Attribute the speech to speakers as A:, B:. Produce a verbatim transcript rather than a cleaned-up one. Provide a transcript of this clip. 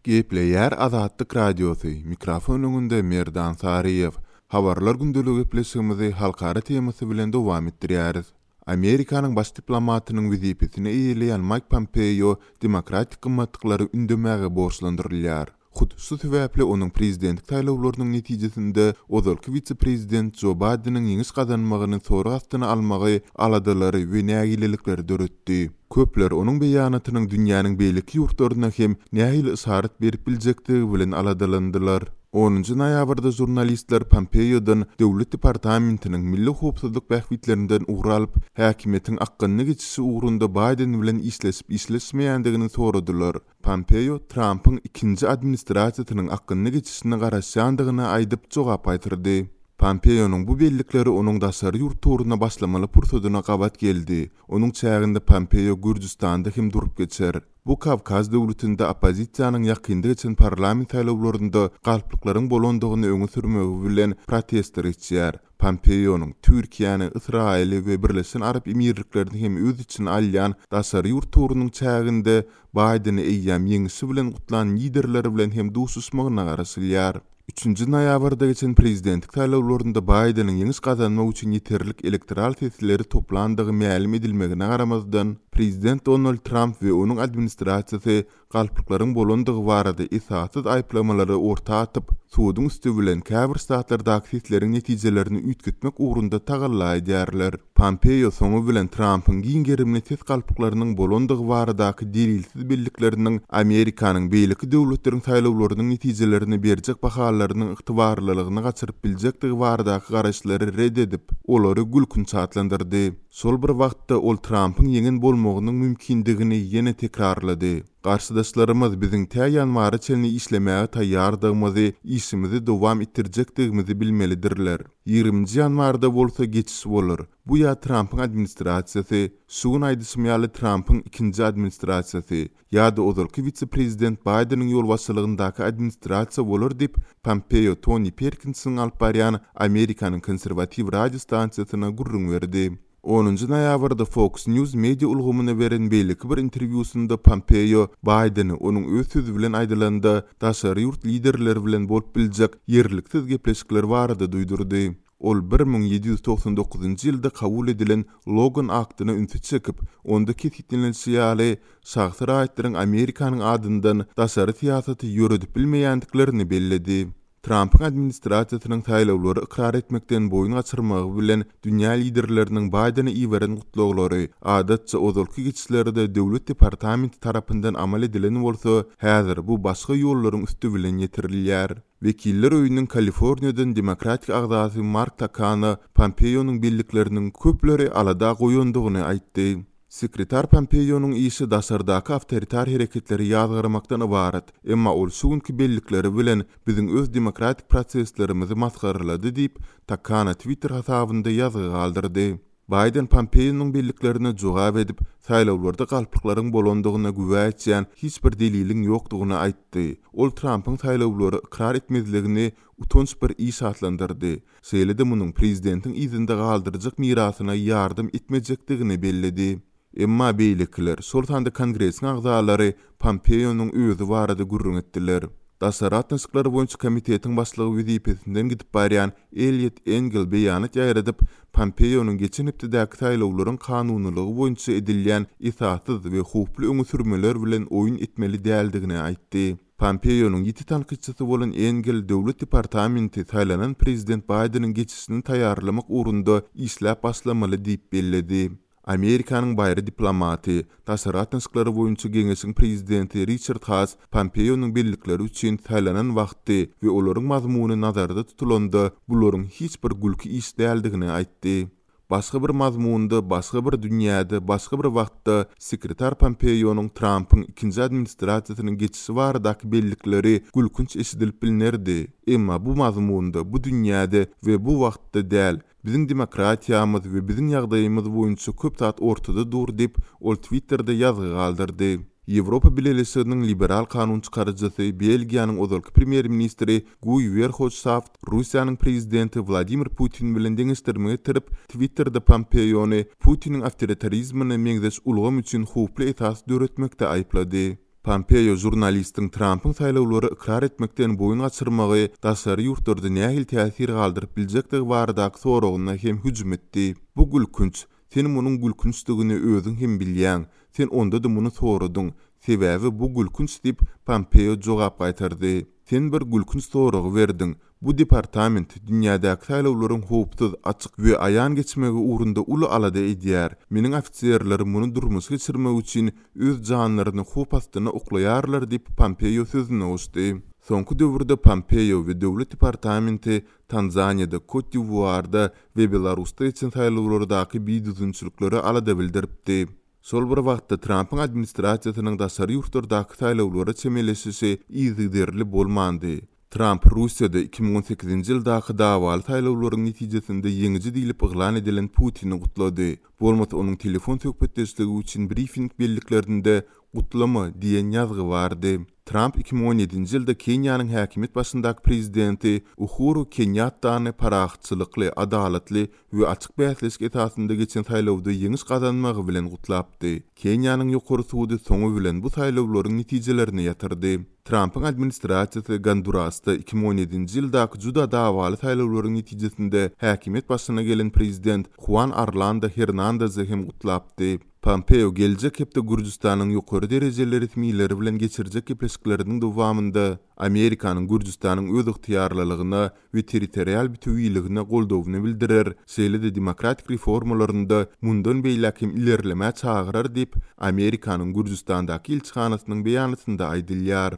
A: Gepleýär Azatlyk Radiosy, mikrofon öňünde Merdan Saryýew. Habarlar gündeligi gepleşigimizi halkara temasy bilen dowam etdirýäris. Amerikanyň baş diplomatynyň wezipesini eýeleýän Maýk Pompeo demokratik gymmatlyklary ündemäge borçlandyrylýar. Hut şu sebäpli onuň prezidentlik saýlawlarynyň netijesinde ozalky wise-prezident Jo Baýdeniň ýeňiş gazanmagyny sorag astyna almagy aladalary we nägilelikleri döretdi. Köpler onuň beýanatynyň dünýäniň beýleki ýurtlaryna hem nähili yşarat berip biljekdigi bilen aladalandylar. Onunjy noýabrda žurnalistler Pompeodan Döwlet departamentiniň milli howpsuzlyk bähbitlerinden ugur alyp, häkimiýetiň akgynly geçişi ugrunda Baýden bilen işleşip işleşmeýändigini soradylar. Pompeo Trampyň ikinji administrasiýasynyň akgynly geçişine garaşýandygyny aýdyp jogap gaýtardy. Pompeonyň bu bellikleri onuň daşary ýurt turuna başlamaly pursadyna gabat geldi. Onuň çäginde Pompeo Gürjüstanda hem durup geçer. Bu Kawkaz döwletinde oppozisiýanyň ýakynda geçen parlament saýlawlarynda galplyklaryň bolandygyny öňe sürmegi bilen protestler geçýär. Pompeonyň Türkiýäni, Ysraýyly we Birleşen Arap Emirliklerini hem öz içine alýan daşary ýurt turunyň çäginde Baýdeni eýýäm ýeňişi bilen gutlan liderleri bilen hem duşuşmagyna garaşylýar. Üçünji noýabrda geçen prezidentlik saýlawlarynda Baýdeniň ýeňiş gazanmak üçin ýeterlik elektoral sesleri toplandygy mälim edilmegine garamazdan, prezident Donald Tramp we onuň administrasiýasy galplyklaryň bolandygy barada esassyz aýyplamalary orta atyp, suduň üsti bilen käbir ştatlardaky sesleriň netijelerini üýtgetmek ugrunda tagalla edýärler. Pompeo soňy bilen Trampyň giň gerimli ses galplyklarynyň bolandygy baradaky delilsiz bellikleriniň Amerikanyň beýleki döwletleriň saýlawlarynyň netijelerini berjek bahalarynyň ygtybarlylygyny gaçyryp biljekdigi baradaky garaýyşlary red edip, olary gülkünç atlandyrdy. Şol bir wagtda ol Trampyň ýeňen bolmagynyň mümkindigini ýene tekrarlady. Garşydaşlarymyz biziň tä ýanwara çenli işlemäge taýýardygymyzy, işimizi dowam etdirjekdigimizi bilmelidirler. Ýigriminji ýanwarda bolsa geçiş bolar. Bu ýa Trampyň administrasiýasy, şu gün aýdyşym ýaly Trampyň ikinji administrasiýasy ýa-da ozalky wise-prezident Baýdeniň ýolbaşçylygyndaky administrasiýa bolar diýip, Pompeo Tony Perkinsiň alyp barýan Amerikanyň konserwatiw radio stansiýasyna gürrüň berdi. Onunjy noýabrda Fox News media ulgamyna beren beýleki bir interwýusynda Pompeo Baýdeni onuň öz sözi bilen aýdylanda daşary ýurt liderleri bilen bolup biljek ýerliksiz gepleşikler barada duýdurdy. Ol bir müň ýedi ýüz togsan dokuzynjy ýylda kabul edilen Logan aktyna ünsi çekip, onda kesgitlenilişi ýaly şahsy raýatlaryň Amerikanyň adyndan daşary syýasaty ýöredip bilmeýändiklerini belledi. Trampyň administrasiýasynyň saýlawlary ykrar etmekden boýun gaçyrmagy bilen dünýä liderleriniň Baýdene iberen gutlaglary, adatça ozalky geçişlerde döwlet departamenti tarapyndan amal edilen bolsa, häzir bu başga ýollaryň üsti bilen ýetirilýär. Wekiller öýüniň Kaliforniýadan demokratik agzasy Mark Takano Pompeonyň bellikleriniň köpleri alada goýandygyny aýtdy. Sekretar Pompeonyň işi daşardaky awtoritar hereketleri ýazgarmakdan ybarat, emma ol şu günki bellikleri bilen biziň öz demokratik proseslerimizi masgaralady diýip, Takano Twitter hasabynda ýazgy galdyrdy. Baýden Pompeonyň belliklerine jogap edip, saýlawlarda galplyklaryň bolandygyna güwä etýän hiç bir deliliň ýokdugyny aýtdy. Ol Trampyň saýlawlary ykrar etmezligini utanç bir iş atlandyrdy. Şeýle-de munuň prezidentiň yzynda galdyrjak mirasyna ýardam etmejekdigini belledi. Emma beýlekiler, şol sanda Kongresiň agzalary Pompeonyň özi barada gürrüň etdiler. Daşary gatnaşyklary boýunça komitetiň başlygy wezipesinden gidip barýan Eliot Engel beýanat ýaýradyp, Pompeonyň geçen hepdedäki saýlawlaryň kanunylygy boýunça edilýän esassyz we howply öňe sürmeler bilen oýun etmeli däldigini aýtdy. Pompeonyň ýiti tankytçysy bolan Engel Döwlet departamenti saýlanan prezident Baýdeniň geçişini taýýarlamak ugrunda işläp başlamaly diýip belledi. Amerikanyň baýry diplomaty, daşary gatnaşyklary boýunça geňeşiň prezidenti Riçard Haas Pompeonyň bellikleri üçin saýlanan wagty we olaryň mazmuny nazarda tutulanda bularyň hiç bir gülki iş däldigini aýtdy. Başga bir mazmunda, başga bir dünýäde, başga bir wagtda sekretar Pompeonyň Trampyň ikinji administrasiýasynyň geçişi baradaky bellikleri gülkünç eşidilip bilinerdi. Emma bu mazmunda, bu dünýäde we bu wagtda däl, biziň demokratiýamyz we biziň ýagdaýymyz boýunça köp zat ortada dur diýip, ol Twitterde ýazgy galdyrdy. Ýewropa Bileleşiginiň liberal kanun çykaryjysy Belgiýanyň ozalky premýer-ministri Guý Werhofstadt Russiýanyň prezidenti Wladimir Putin bilen deňeşdirme getirip, Twitterde Pompeony Putiniň awtoritarizmine meňzeş ulgam üçin howply esas döretmekde aýyplady. Pompeo žurnalistiň Trampyň saýlawlary ykrar etmekden boýun gaçyrmagy daşary ýurtlarda nähili täsir galdyryp biljekdigi baradaky soragyna hem hüjüm etdi. Bu gülkünç. Sen munuň gülkünçdigini özüň hem bilýäň. Sen onda-da muny soradyň. Sebäbi bu gülkünç diýip, Pompeo jogap gaýtardy. Sen bir gülkünç soragy berdiň. Bu departament dünýädäki saýlawlaryň howpsuz, açyk we aýan geçmegi ugrunda uly alada edýär. Meniň ofiserlerim muny durmuşa geçirmek üçin öz janlaryny howp astyna oklaýarlar diýip, Pompeo sözüne goşdy. Soňky döwürde Pompeo we Döwlet departamenti Tanzaniýada, Kot-d'Iwuarda we Belarusda geçen saýlawlardaky bidüzgünçiliklere alada bildiripdi. Şol bir wagtda Trampyň administrasiýasynyň daşary ýurtlardaky saýlawlara çemeleşişi yzygiderli bolmandy. Tramp Russiýada iki müň on sekizinji ýyldaky dawaly saýlawlaryň netijesinde ýeňiji diýlip yglan edilen Putini gutlady. Bolmasa onuň telefon söhbetdeşligi üçin brifing belliklerinde gutlama diýen ýazgy bardy. Tramp iki müň on ýedinji ýylda Keniýanyň häkimiýet başyndaky prezidenti Uhuru Kenýattany parahatçylykly, adalatly we açyk bäsleşik esasynda geçen saýlawda ýeňiş gazanmagy bilen gutlapdy. Keniýanyň ýokary sudy soňy bilen bu saýlawlaryň netijelerini ýatyrdy. Trampyň administrasiýasy Gondurasda iki müň on ýedinji ýyldaky juda dawaly saýlawlaryň netijesinde häkimiýet başyna gelen prezident Huan Orlando Hernandezi hem gutlapdy. Pompeo geljek hepde Gürjüstanyň ýokary derejeli resmileri bilen geçirjek gepleşikleriniň dowamynda Amerikanyň Gürjüstanyň öz ygtyýarlylygyna we territorial bütewiligine goldawyny bildirer, şeýle-de demokratik reformalarynda mundan beýläk hem ilerlemä çagyrar diýip, Amerikanyň Gürjüstandaky ilçihanasynyň beýanatynda aýdylýar.